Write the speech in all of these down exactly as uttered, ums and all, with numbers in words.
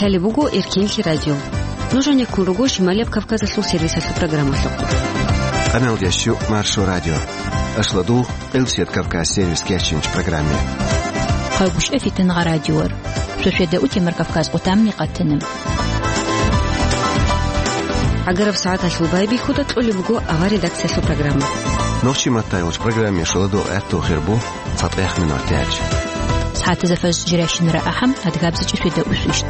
Гьале буго Эркенлъи радио. Нуж гьанеккун руго Шималияб Кавказалъул сервисалъул программалъухъ. Къамел ящу Маршо радио. Ашладул Къилсият Кавказ сервис кечинч программе. Хъалгушев Фитнагъа радиор. Шошеда утемар Кавказ къутамни къатана. Агараб сагӀаталъул байбихьуда кьолеб буго авар редакциялъул программа. Нохчи маттайулч программе шуладул гӀатту хирбу. ЦатӀех минут тяч. СагӀатазда фажр жирайщинара ахӀам, адгабзачӀи шведа усвищт.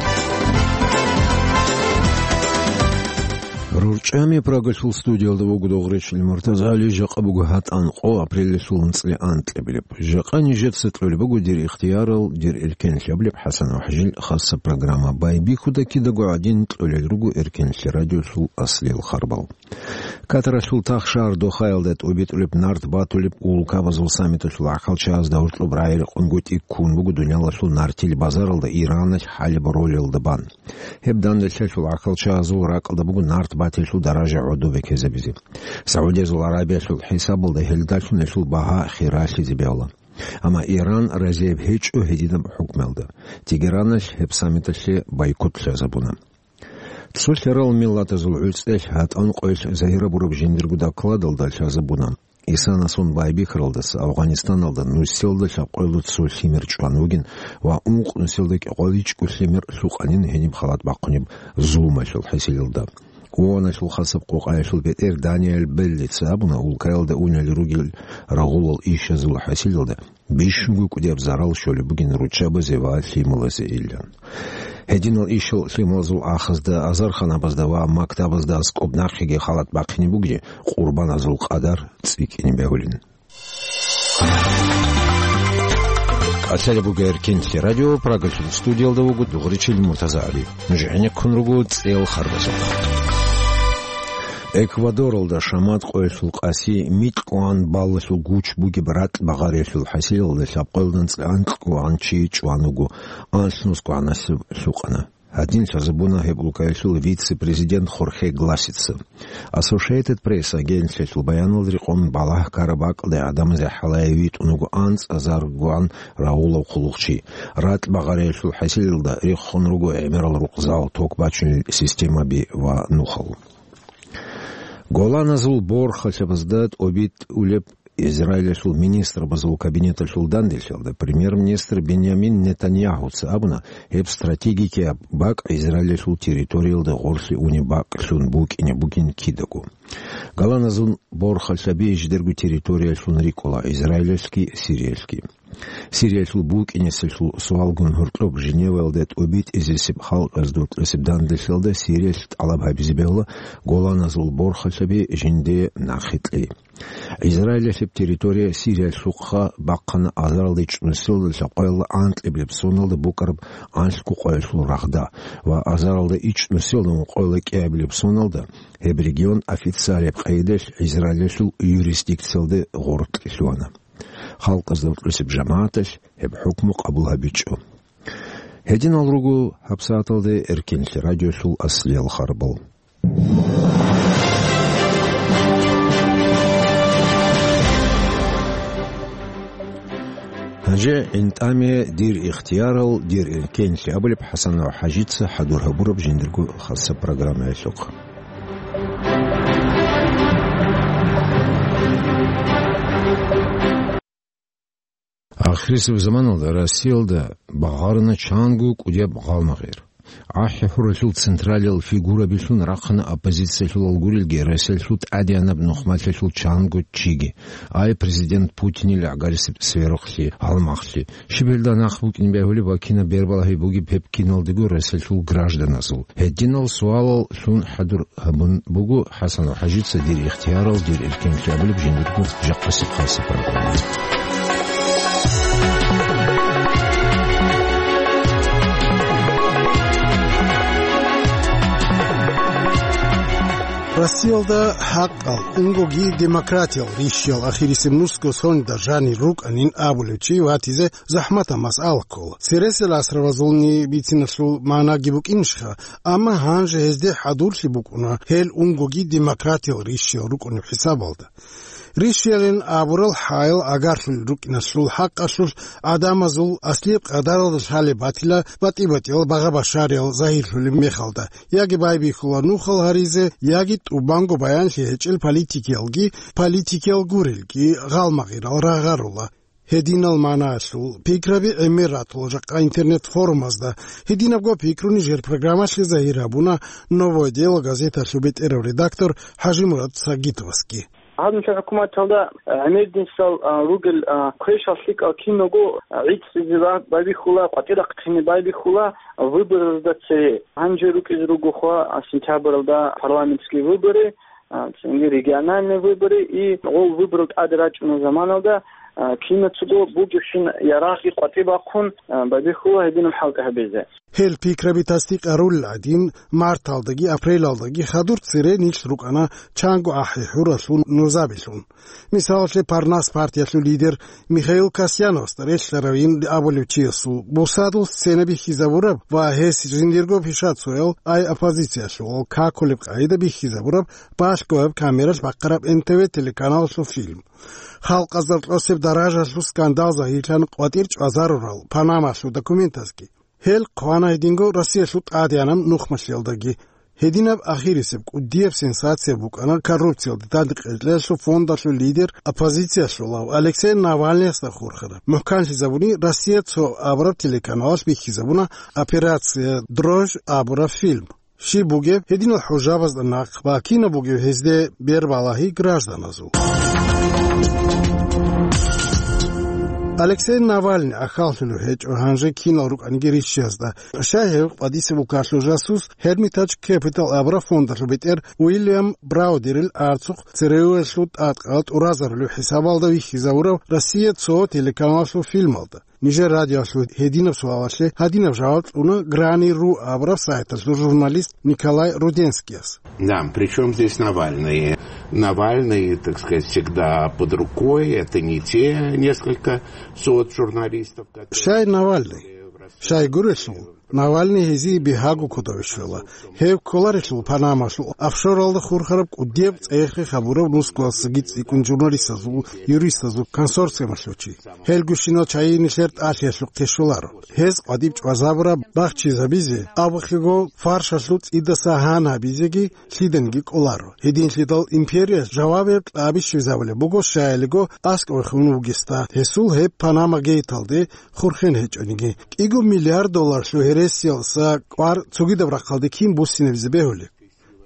РурчӀами Прагалъул студиялда вуго Дугъричил Муртазали, жакъа буго гьатӀан къо апрелалъул анцӀила анкьабилеб. Жакъа нижеца кьолеб буго дир ихтиярал, дир эркенлъабилеб ХӀасан ва ХӀажил хасса программа. Байбихьуда кидаго гӀадин кьолел руго Эркенлъи радиолъул аслиял харбал. Катаралъул тахшар Дохаялда тӀубитӀулеб нарт батулеб улкабазул саммиталъул гӀахьалчагьазда гьоркьоб рагӀи-рекъон гутӀи ккун буго дуниялалъул нартил базаралда Ираналъ хӀалеб ролелда бан. Гьеб данделъалъул гӀахьалчагьазул ракӀалда буго нарт батилъул даража гӀодобе ккезабизе. Саудиязул Аравиялъул хӀисабалда гьелдалъун гьелъул багьа хиралъизе бегьула. Амма Иран разияб гьечӀо гьединаб хӀукмуялда. Тегераналъ гьеб саммиталъе бойкот лъазабуна. Цо лъарал миллатазул гӀуцӀелъ гьатӀан къоялъ загьирабураб жиндирго докладалда лъазабуна, Исанасун байбихьаралдаса Афганистаналда нусилда лъабкъоялда цо лъимер чӀван вугин ва ункъ нусилда кӀикъоялда ичӀго лъимер лъукъанин гьениб халат бахъунеб зулмалъул хӀасилалда. ООНалъул хасаб къокъаялъул бетӀер Даниэль Беллица абуна, улкаялда унел ругел рагъулал ишазул хӀасилалда бищунго кӀудияб зарал щолеб бугин руччабазе ва лъималазе илан. Гьединал ишал лъималазул ахазда, азарханабазда ва мактабазда аскӀоб нахъеги халат бахъине бугин, къурбаназул къадар цӀикӀкӀине бегьулин. Кьалъалеб буго Эркенлъи радио, Прагалъул студиялда вуго Дугъричил Муртазагьари. Нуж гӀенеккун руго цӀел харбазухъ. Эквадоралда шамат къоялъул къаси микьгӀан баллалъул гуч бугеб ратӀ багъариялъул хӀасилалда лъабкъоялда анцӀила анкьгӀан чи чӀван вуго, анлънусгӀанасеб лъукъана. Гьадин лъазабуна гьеб улкаялъул вице-президент Хорхе Гласица. Associated Press агентлъиялъул баяналда рекъон балагь ккараб бакӀалда гӀадамазе хӀалае витӀун вуго анцӀазаргогӀан рагъулав хъулухъчи. РатӀ багъариялъул хӀасилалда рехун руго гӀемерал рукъзал, ток бачунел системаби ва нухал. Голаназул борхалъабазда тӀобитӀулеб Израилалъул министрабазул кабинеталъул данделъалда премьер-министр Беньямин Нетаньяхуца абуна, гьеб стратегикияб бакӀ Израилалъул территориялда гъорлъе унеб бакӀлъун букӀине бугин кидаго. Голаназул борхалъаби жидерго территориялъун рикӀкӀула Израилалъги Сириялъги. Сириялъул букӀинеселъул суалгун гьоркьоб Женеваялда тӀобитӀизесеб халкъазда рукъесеб данделъалда Сириялъ тӀалаб гьабизе бегьула Голаназул борхалъаби жинде нахъе кьей. Израилалъеб территория Сириялъухъа бахъана азаралда ичӀнусиялда лъабкъоялда анкьабилеб соналда букӀараб анлъго къоялъул рагъда ва азаралда ичӀнусиялда ункъоялда кӀиабилеб соналда гьеб регион официалияб къайдалъ Израилалъул юрисдикциялда гъоркье лъугьана. Халкъазда рукъисеб жамагӀаталъ гьеб хӀукму къабул гьабичӀо. Гьединал руго гьабсагӀаталда Эркенлъи радиолъул аслиял харбал. Гьанже гӀинтӀаме дир ихтиярал, дир эркенлъи абулеб ХӀасан ва ХӀажица хӀадур гьабураб жиндирго хасаб программаялъухъ. Ахирисеб заманалда Россиялда багъарана чанго кӀудияб гъалмагъир. АхӀи-хӀуралъул централиял фигурабилъун рахъана оппозициялъулал гурелги, Россиялъул тӀадегӀанаб нухмалъиялъул чанго чиги, ай президент Путинил гӀагарисеб сверухълъи, гьалмагълъи. Щиб гьелда нахъ букӀин бегьулеб ва кинаб бербалагьи бугеб гьеб киналдаго Россиялъул гражданазул? Гьединал суалал лъун хӀадур гьабун буго ХӀасан ва ХӀажица дир ихтиярал, дир эркенлъи абулеб жиндирго жакъасеб хасаб программа. Россиялда хӀакъал, унгоги демократиял рищиял ахирисеб нусго соналда жанир рукӀанин абулев чи ватизе захӀматаб масъала ккола. Цересел асрабазулни бициналъул магӀнаги букӀинищха, амма гьанже гьезде хӀадурлъи букӀуна гьел унгоги демократиял рищиял рукӀунеб хӀисабалда. Ришиялин абурал хӀаял агарлъулел рукӀиналъул хӀакъалъулъ гӀадамазул аслияб къадаралда лъалеб батила батӀи-батӀиял багъа-башариял загьирлъулеб мехалда, яги байбихьула нухал гьаризе, яги тӀубанго баянлъи гьечӀел политикиялги, политикиял гурелги гъалмагъирал рагъарула. Гьединал манаялъул пикраби гӀемер ратула жакъа интернет-форумазда. Гьединабго пикруни жер программалъе загьир гьабуна «Новое дело» газеталъул бетӀерав редактор ХӀажимурад Сагитовасги. Гьаб нилъер хӀукуматалда гӀемердинсал, а, ругел, а, квешал лъикӀал киного, а, гӀицӀизе ба-, байбихьула, къватӀирахъине байбихьула выборалда цее. Гьанже рукӀизе ругохъа, а, сентябралда парламентские выборы, а, цинги региональные выборы, и гъол выборал тӀаде рачӀунел заманалда, а, кинацаго бугебщин ярагъги къватӀи бахъун, а, байбихьула гьединаб хӀалтӀи гьабизе. Гьел пикраби тасдикъарулел гӀадин, марталдаги апрелалдаги хадур цере нилъ рукӀана чанго ахӀи-хӀуралъул нузабилъун. Мисалалъе, Парнас партиялъул лидер Михаил Касьяновасда релълъаравин абулев чиясул бусадул сцена бихьизабураб ва гьес жиндирго пишацоял ай оппозициялъул какулеб къагӀида бихьизабураб балъгояб камералъ бахъараб Н Т В телеканалалъул фильм. Халкъазда кьосеб даражалъул скандал загьирлъан къватӀир чӀвазарурал Панамалъул документазги. Гьел хъвана гьединго Россиялъул тӀадегӀанаб нухмалъиялдаги. Гьединаб ахирисеб кӀудияб сенсация букӀана коррупциялде тӀадекъечӀлъиялъул фондалъул лидер, оппозициялъулав Алексей Навальныясда хурхараб. МухӀканлъизабуни Россия цо абураб телеканалалъ бихьизабуна «Операция Дрожь» абураб фильм. Щиб бугеб гьединал хӀужабазда нахъ ва кинаб бугеб гьезде бербалагьи гражданазул? Алексей Навальный ахьаллъулев гьечӀо гьанже кинал рукӀаниги рищиязда. Щай гьев къвадисеб улкалъул жасус Hermitage Capital абураб фондалъул бетӀер Уильям Браудерил арцухъ ЦРУ-ялъул тӀадкъал тӀуразарулев хӀисабалда вихьизавурав Россия цо телеканалалъул фильмалда? Нижер радиоялъул гьединаб суалалъе гьадинаб жаваб кьуна Грани ру абураб сайталъул журналист Николай Руденскияс. Да, при чём здесь Навальный? Навальный, так сказать, всегда под рукой, это не те несколько сот журналистов, которые... Щай Навальный? Щай гурелъул, Навальный гьезие бигьаго кодаве щвела. Гьев кколарелъул Панамалъул офшоралда хурхараб кӀудияб цӀехе хабурав нусгоялдасаги цӀикӀкӀун журналистазул, юристазул консорциумалъул чи. Гьел гущинал чагӀи нилъер тӀалъиялъухъе щоларо. Гьез къватӀиб чӀвазабураб бахчизабизе, абухъего фаршалъул цӀидаса гьан гьабизеги лъиданиги кӀоларо. Гьединлъидал империя жавабе кьаби щвезабулеб буго, щаялиго аскӀовехун вугесда, гьесул гьеб Панама гейталде хурхен гьечӀониги. КӀиго миллиард долларлъул гьересиялдаса кӀвар цогидаб рахъалде кин буссинабизе бегьулеб?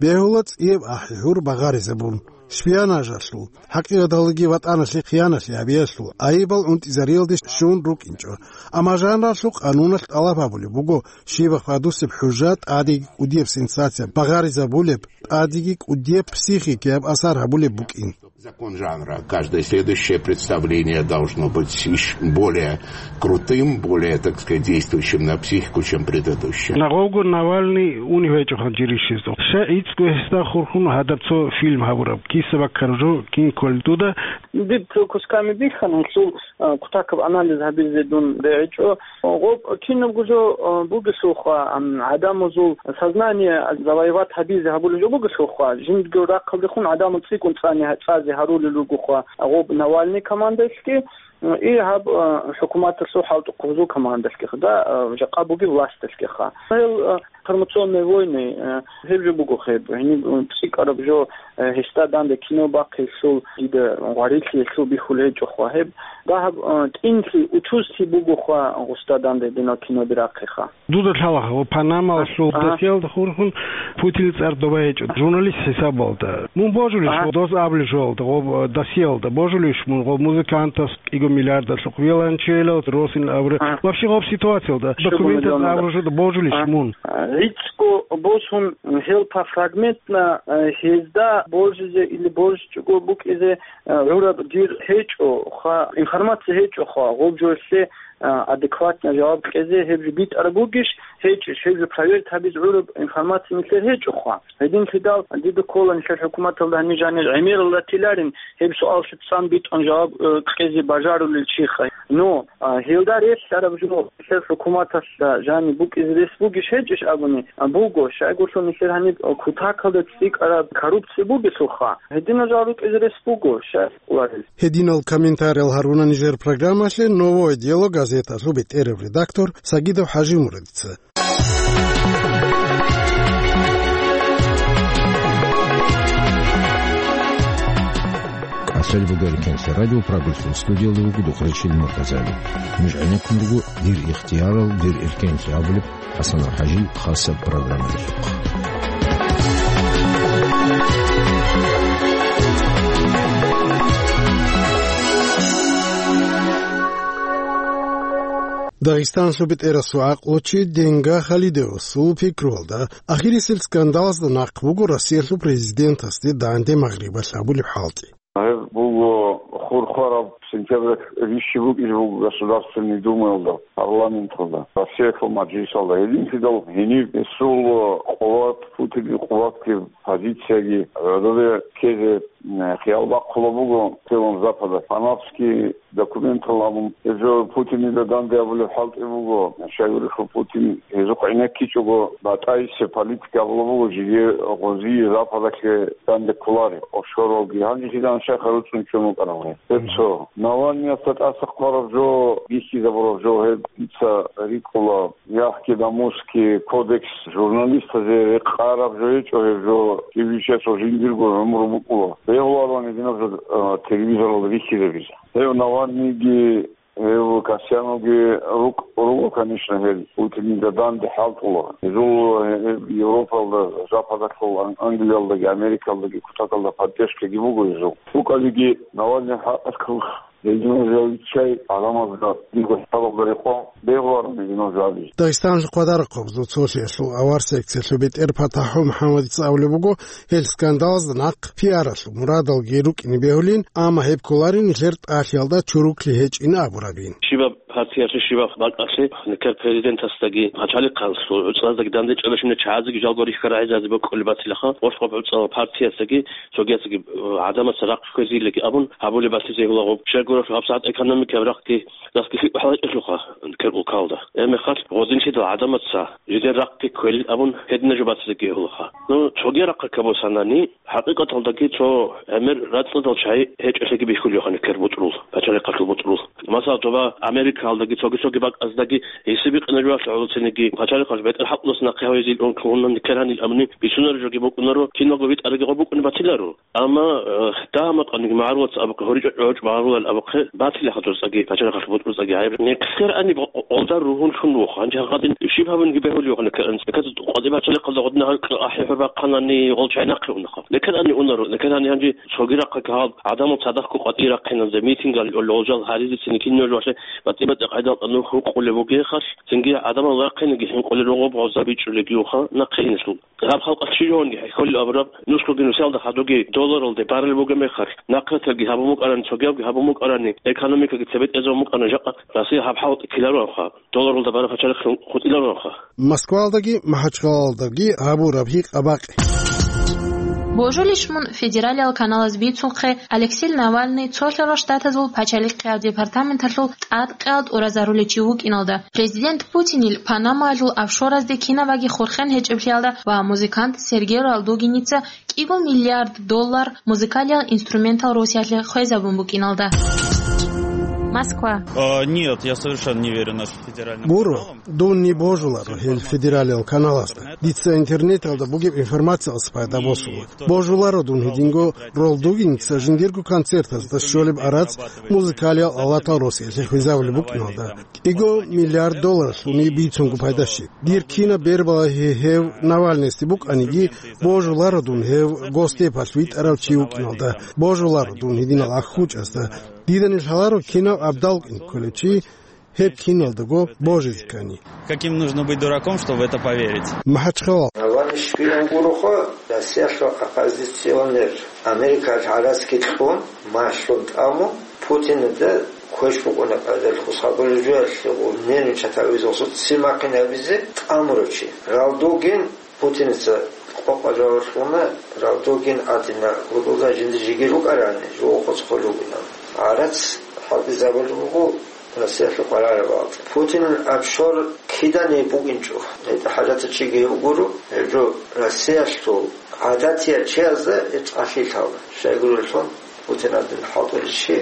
Бегьула цӀияб ахӀи-хӀур багъаризабун, шпионажалъул, хӀакъикъаталдаги ВатӀаналъе хиянат гьабиялъул айибал унтӀизариялде щун рукӀинчӀо. Амма жанралъул къануналъ тӀалаб гьабулеб буго, щибаб хадусеб хӀужа, тӀадеги кӀудияб сенсация багъаризабулеб, тӀадеги кӀудияб психикияб асар гьабулеб букӀин. Закон жанра. Каждое следующее представление должно быть ещё более крутым, более, так сказать, действующим на психику, чем предыдущее. Нагъовго Навальный унев гьечӀо гьанже рищизе. Щай гӀицӀго гьесда хурхун гьадаб цо фильм гьабураб? Киса баккараб жо кин кколеб дуда? Диб цо кусками бихьана, гьелъул, а, кутакаб анализ гьабизе дун бегьичӀо. Гъоб кинабго жо, а, бугелъулха, ам, гӀадамазул сознание завоевать гьабизе гьабулеб жо бугелъулха, жиндирго рахъалдехун гӀадамал цӀикӀкӀун цӀани-, цӀазе гьарулел ругоха гъоб Навальный командалъги, и гьаб, а, хӀукуматалъул хӀалтӀухъ гьезул командалъгиха, да, а, жакъа бугеб власталъгиха. Гьел, а, информационные войны, а, гьеб жо буго гьеб, гьениб, м, цӀикӀкӀараб жо, а, гьесда данде кино бахъи, гьелъул дида гъварилъи гьелъул бихьулеб гьечӀоха гьеб. Дагьаб, а, тӀинлъи, учузлъи бугоха гъусда данде гьединал кино бирахъеха. Дуда лъалаха, ва Панамалъул А. досиялда хурхун Путинил цӀар доба гьечӀо, журналист хӀисабалда. Мун божулищ А. дос абулеб жоялда, гъоб, э, досиялда? Божулищ мун гъоб музыкантас кӀиго миллиардалъухъ виолончелал, росин абуре? А. Вообще гъоб ситуациялда, Щуго документалъ миллионалда. абураб жоялда божулищ А. мун? А, гӀицӀго босун, гьел по фрагментно, э, гьезда божизе или божичӀого букӀизе, э, гӀураб дир гьечӀо, ха, информация гьечӀо, ха, гъоб жоялъе а, адекватно жаваб кьезе гьеб жо битӀараб бугищ, гьечӀищ, гьеб жо проверить гьабизе гӀураб информация нилъер гьечӀоха. Гьединлъидал дида ккола нилъер хӀукуматалда гьаниб жанир гӀемерал ратиларин гьеб суаллъи цӀан битӀун жаваб, э, кьезе бажарулел чиха. Ну, а, гьелда релълъараб жо, нилъер хӀукуматалъ жаниб букӀизе рес бугищ гьечӀищ абуни, а, буго, щайгурлъун нилъер гьаниб, а, кутакалда цӀикӀкӀараб коррупция бугелъулха. Гьединал жал рукӀизе рес буго, щай гьарулел. Гьединал комментариял гьаруна нижер программалъе «Новое дело» газеталъул бетӀерав редактор Сагидов ХӀажимурадица. КӀалъалеб буго Эркенлъи радио, Прагалъул студиялда вуго Духъречил Муртазали. Нуж гӀенеккун руго «Дир ихтиярал, дир Эркенлъи» абулеб ХӀасан ХӀажил хасаб программаялъухъ. Дагъистаналъул бетӀерасул гӀакълучи Денга Халидовасул пикруялда, ахирисел скандалазда нахъ буго Россиялъул президентасде данде Магърибалъ гьабулеб хӀалтӀи. Гьеб буго хурхараб сентябрь рищи букӀизе буго Государственный Думаялда, парламенталда, Россиялъул мажлисалда. Гьединлъидал гьениб гьесул къуват, Путинил къуватги, позицияги гӀодобе ккезе, м, хиял бахъула буго цеван Запада. Панамский документал абун, гьезул Путинида данде абулеб хӀалтӀи буго, щайгурелъул Путин гьезухъ гӀенеккичӀого, батӀайсеб политика абула буго, жиги гъозие Западалъе данде кколареб, офшоралги. Гьанже кидан щайха руцӀцӀун чӀун вукӀарав гьеб. Гьеб цо. Навальныясда тӀаса хъвараб жо, бихьизабураб жо гьеб дица рикӀкӀула. Яхки Дамуски кодекс журналистазе рекъараб жо гьечӀо гьеб жо, кибичасул жиндирго гӀумру букӀула. Бегьуларо гьединаб жо, а, телевизоралда бихьизабизе. Гьев Навальныйги, гьев Касьяновги рукӀ-, руго, конечно, гьел Путинида данде хӀалтӀула. Гьезул, э, Европалда, Западалъул, Ан-, Англиялдаги, Америкалдаги кутакалда поддержкаги буго гьезул. БукӀалиги Навальный хӀакъалъулъ. Гьединал жал чай гӀаламазда диго хӀалалда рекъон бегьуларо гьединал жал. Дагъистаналъул хъвадарахъабазул цолъиялъул авар секциялъул бетӀер ПатахӀул МухӀаммадица абулеб буго, гьел скандалазда нахъ пиаралъул мурадалги рукӀине бегьулин, амма гьеб кколарин нилъер тӀалъиялда чуруклъи гьечӀин абурабин. Щибаб партиялъе, щибаб бакӀалъе, нилъер президентасдаги пачалихъалъул гӀуцӀаздаги дандечӀеб щибаб чагӀазеги жалго рихьарай гӀезазе бокьулеб батилаха, гъоркь гъоб гӀуцӀал партиясдаги цогиясги, э, гӀадамаца рахъ хвезейилги абун гьабулеб батизе гьулагъуб. Щайгурелъул гьабсагӀат экономикаялъ рахъги, рахъги лъикӀ бахӀарчӀелъулха кер улкалда. Гьебмехалъ гъодинлъидал гӀадамаца жидер рахъги кквелин абун гьедина жо батизеги гьулагъа. Ну, цоги рахъа кабусанани, хӀакъикъаталдаги цо гӀемер рацӀцӀадал чагӀи гьечӀолъиги бихьулевхъани кер бутӀрул, пачалихъалъул бутӀрул. Масала, доба Америкалдаги цоги-цоги бакӀаздаги гьесиб бикъинаб жугьалъ гӀолоцинеги, пачалихъалъ бетӀер хӀакъулас нахъе гьавизил ункугьунан кер гьанил абуни бицунареб жоги букӀунаро, киналго витӀараги гъо букӀуни батиларо. Амма, э, дагьа-макъаниги магӀарулац абухъе, гьоричӀо-гӀоричӀо магӀарулал абухъе, батилаха дурцӀаги пачалихъалъул бутӀрулцӀаги гӀайиб. Нехъер ани гъо-, гъолда ругьунлъун вуха. Гьанже гьадин щиб гьабунги бегьулев вахана кер анцӀ. Беказ къватӀи пачалихъалда гъодна гьал ахӀи хӀурбахъанани гъол чай нахъе унаха. Нехъер ани унаро, нехъер ани гьанже цоги рахъа кагьал гӀадамал цадахъго къватӀи рахъиназе, митингалъ гьол жал гьаризецин кинаб жо валъе батӀи-батӀи къайдал нух гьукъулев вугехалъ, цинги гӀадамал рахъинеги хӀинкъулел ругъоб гъоза бичӀчӀулеги вуха нахъе инлъул. Гьаб халкъалъ чи жогьунги хӀехьолел абураб, нусгоги нусиялда хадуги долларалде баралеб бугеб мехалъ, нахъраталги гьабун букӀарани, цогиябги гьабун букӀарани, экономикаги цебетӀезабун букӀана жакъа, Россия гьаб хӀалтӀи ккелароанха, долларалда бараб пачалихъ хутӀилароанха. Москваялдаги МахӀачхъалалдаги гьабураб гьикъа-бакъи. Божулищ мун федералиял каналаз бицунхъе, Алексей Навальный цолъарал штатазул пачалихъияб департаменталъул тӀадкъиялда тӀуразарулев чи вукӀиналда, президент Путинил Панамаялъул офшоразде кинабаги хурхен гьечӀеблъиялда ва музыкант Сергей Ралдугиница кӀиго миллиард доллар музыкалиял инструментал Россиялъе хвезабун букӀиналда. Москва. А, нет, я совершенно не верю нашим федеральным Буро, каналам. Дун ни божуларо гьел федералиял каналазда. Дица интернеталда бугеб информациялъ пайда босула. Божуларо дун гьединго Ралдугиница жиндирго концертазда щолеб арац музыкалиял алатал Россиялъе хвезабулеб букӀиналда. КӀиго миллиард долларалъуни бицунго пайда щиб. Дир кинаб бербалагьи гьев Навальныйсде букӀаниги, божуларо дун гьев Госдепалъ витӀарав чи вукӀиналда, божуларо дун гьединал ахӀучӀазда. Дида нилъ лъаларо кинав абдал вукӀин кколев чи гьеб киналдаго божизе ккани. Каким нужно быть дураком, чтобы в это поверить? МахӀачхъалал. Навальный шпион гуроха, Россиялъул оппозиционер, Америкалъ гӀарац кьун, малъун тӀамун, Путинда квеш букӀуна къайдалъ хусабулев жуялъе гъур нервничать гьавизе, гъусу ццин бахъин гьабизе тӀамурав чи. Ралдугин Путиница къокъа жаваб кьуна, Ралдугин гӀадина гьудулда жинда жиги рукӀарани, жугьу къоцӀ хъулев вугилан. ГӀарац хӀалтӀизабулеб буго, Россиялъул къваригӀараб гьалда. Путинил офшор кидани букӀинчӀо. ГьетӀа хӀажатав чиги гьев гуро, гьеб жо Россиялъул гӀадатияв чиязда гьеб цӀалъилъала. Щайгурелъул, Путинадин хӀалтӀулев чи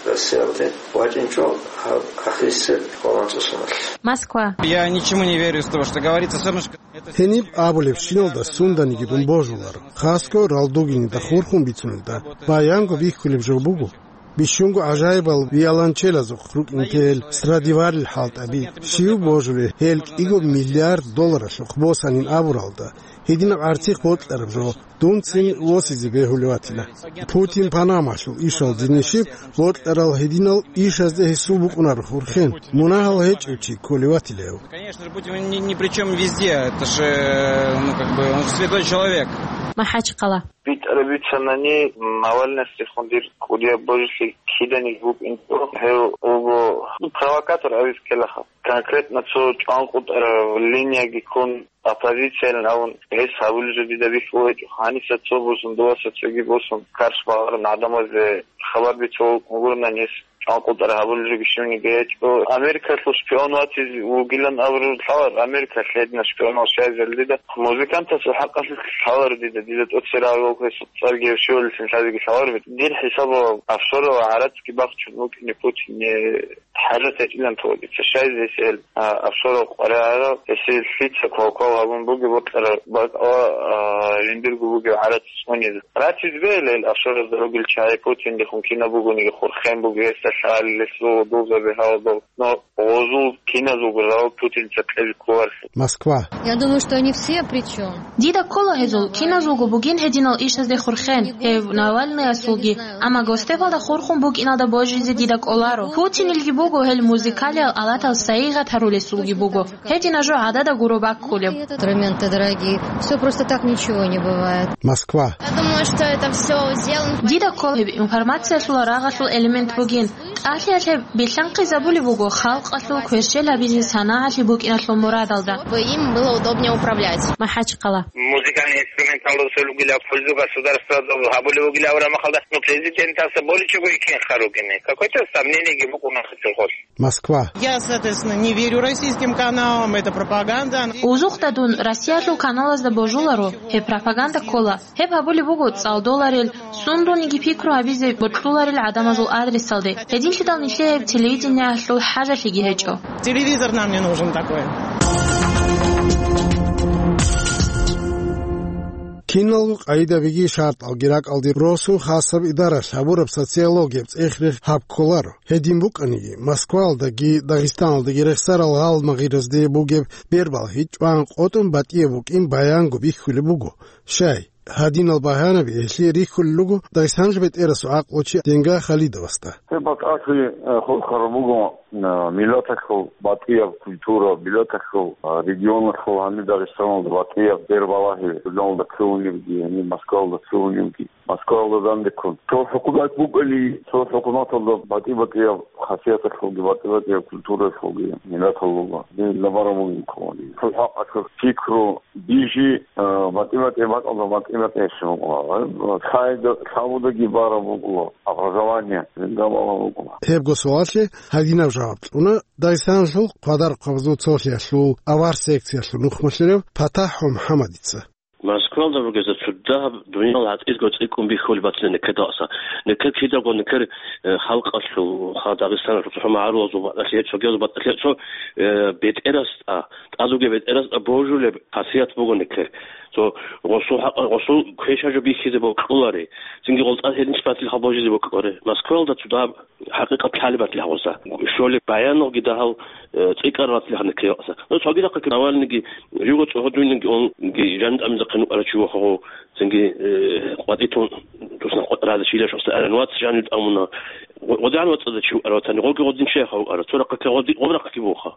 Россиялде вачӀинчӀо гьаб ахирисеб къоло анцӀусуналъ. Москва. Я ничему не верю из того, что говорится, всё равно, что это... Гьениб абулебщиналда сунданиги дун божуларо, хасго ралдугинида хурхун бицунелда. Баянго бихьулеб жо буго. Бищунго гӀажаибал виолончелазухъ рукӀинтел Страдиварил хӀалтӀаби, щив божулеб гьел кӀиго миллиард долларалъухъ босанин абуралда, гьединаб гӀарцихъ бокьараб жо, дунцин восизе бегьулев ватила. Путин Панамалъул ишалде нижеб бокьарал гьединал ишазде гьесул букӀунаро хурхен, мунагьал гьечӀев чи кколев ватила гьев. Конечно же, Путин ни, ни при чём везде, это же, ну, как бы, он же святой человек. МахӀачхъала. БитӀараб бицанани, Навальныясдехун дир кӀудияб божилъи киданиги букӀинчӀо. Гьев вуго, ну, провокатор абиз ккелаха. Конкретно цо чӀванкъутӀараб линияги ккун, оппозициялин абун, гьес гьабулеб жо дида бихьулеб гьечӀо. Гьаниса цо босун, доваса цоги босун, карш багъарун гӀадамазде хабар бицун вугурунани гьес чӀванкъутӀараб гьабулеб жоги щивниги гьечӀо. Америкалъул шпион ватизе вугилан абураб лъалар, Америкалъ гьединал шпионал щайзали дида. Музыкантасул хӀакъалъулъ лъалар дида, дида тӀоцерагӀав гьесул цӀарги гьев щивалилъин лъазеги лъалар. Дир хӀисабалъ офшоралда гӀарацги бахчун вукӀине Путине хӀажат гьечӀилан тӀоцеца. Щайзе гьесие, а, офшорал къваригӀарал, гьесие лъица квалквал гьабун бугеб бокьараб бакӀалда, а, жиндирго бугеб гӀарац цӀунизе. Ратизе бегьила гьел офшоразда ругел чагӀи, Путиндехун кинаб бугониги хурхен буго гьесда лъалел, гьесул гъозулзаби гьавадал. Но гъозул киназулго жаваб Путинца кьезе кколарелъул. Москва. Я думаю, что они все при чём. Дида ккола гьезул киназулго бугин гьединал ишазде хурхен, гьев Навальныясулги, амма гостепалда хурхун букӀиналда божизе дида кӀоларо. Путинилги буго гьел музыкалиял алатал сайигъат гьарулесулги буго. Гьединаб жо гӀадада гуро баккулеб. Инструменты дорогие. Всё просто так ничего не бывает. Москва. Я думаю, что это всё сделано. Дида ккола гьеб информациялъул рагъалъул элемент бугин. ТӀалъиялъе билълъанхъизабулеб буго халкъалъул кверщел гьабизе санагӀалъи букӀиналъул мурадалда. Чтобы им было удобнее управлять. МахӀачхъала. Музыкальный инструменталда цо ругила пользу государствада гьабулев вугилан абураб мехалда, ну, президентасда боличӀого иккен ха ругине. Какое-то сомнениеги букӀуна хасиргъолъ. Москва. Я, соответственно, не верю российским каналам, это пропаганда. Узухъда дун Россиялъул каналазда божуларо, гьеб пропаганда ккола. Гьеб гьабулеб буго цӀалдоларел, сундулниги пикру гьабизе бокьуларел гӀадамазул адресалде. Гьединлъидал нилъее гьеб телевидениялъул хӀажалъиги гьечӀо. Телевизор нам не нужен такой. Киналго къайдабиги шартӀалги ракӀалде росун хасаб идаралъ гьабураб социологияб цӀех-рех гьаб кколаро. Гьедин букӀаниги, Москваялдаги Дагъистаналдаги рехсарал гъалмагъиразде бугеб бербалъи чӀван къотӀун батӀияб букӀин баянго бихьулеб буго. Щай, гьадинал багьанаби гьелъие рихьулел руго Дагъистаналъул бетӀерасул гӀакълучи Денга Халидовасда. Гьеб батӀалъи, э, хурхараб буго, э, миллаталъул батӀияб культура, миллаталъул, э, регионалъул гьаниб Дагъистаналда батӀияб бербалъи, журналалда кколебги, гьаниб Москваялда кколебги. Москваялда данде ккун. Цо хӀукумат букӀани, цо хӀукуматалда батӀи-батӀияб хасияталъулги, батӀи-батӀияб культуралъулги, миллаталъулги. Динда бараб бугин кколани. Цо хӀакъалъулъ пикру, бижи, а, батӀи-батӀияб бакӀалда батӀи-батӀияб щиб букӀуна. Лъайда, лъабудаги бараб букӀуна, образование, динда бараб букӀуна. Гьебго суаллъи гьадинаб жаваб кьуна Дагъистаналъул Хъвадархъвабазул цолъиялъул авар секциялъул нухмалъулев ПатахӀ МухӀаммадица. Москвалда ругезда цо дагьаб дуниял гӀатӀизго цӀикӀкӀун бихьулеб батила некедаса. Некед кидаго некер, э, халкъалъул, ха, Дагъистаналъул цохӀо магӀарулазул батӀалъи, цогиязул батӀалъи цо, э, бетӀерасда, тӀад вугев бетӀерасда божулеб хасият буго некер. Цо гъосул хӀакъ-, гъосул квешаб жо бихьизе бокьулари. Цинги гъолтӀа гьединлъи батилха божизе бокьулари. Москвалда цо дагьаб ХӀакъикъат лъалеб батилха гъоса. Щолеб баянги дагьал, э, цӀикӀкӀараб батилха некеяса. Ну, цогидахъаги Навальныйги, жуго цӀогьодуйнги онги жан тӀамизахъин вукӀарав чи вохого, цинги, э, къватӀитун тусна къо-, раза чилаш оса аран вац жанив тӀамуна. Гъо-, гъодигӀан вацӀазда чи вукӀараватани, гъоги гъодин чияха вукӀара. Цо рахъаки гъоди-, гъоб рахъаки воха.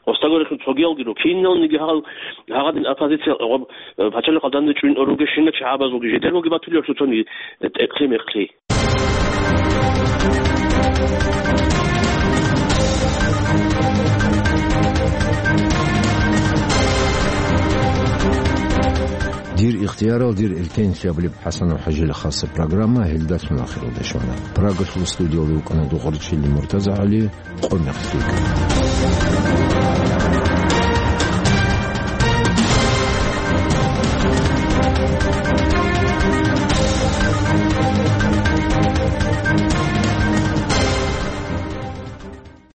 Гъосдагорехун цогиялгиро, киналниги гьал, гьагъадин оппозиция гъоб, э, пачалихъалда данде чӀун оруге щинна чагӀабазулги жидералги батулев цоцони, э, тӀекълъи-мекълъи. Дир Ихтиярал дир элъенлъи абулеб ХӀасанов ХӀажил хасаб программа гьелдалъун ахиралде щвана. Прагалъул студиялда вукӀана Дугъарчили МуртазагӀали, къо-мекълъи.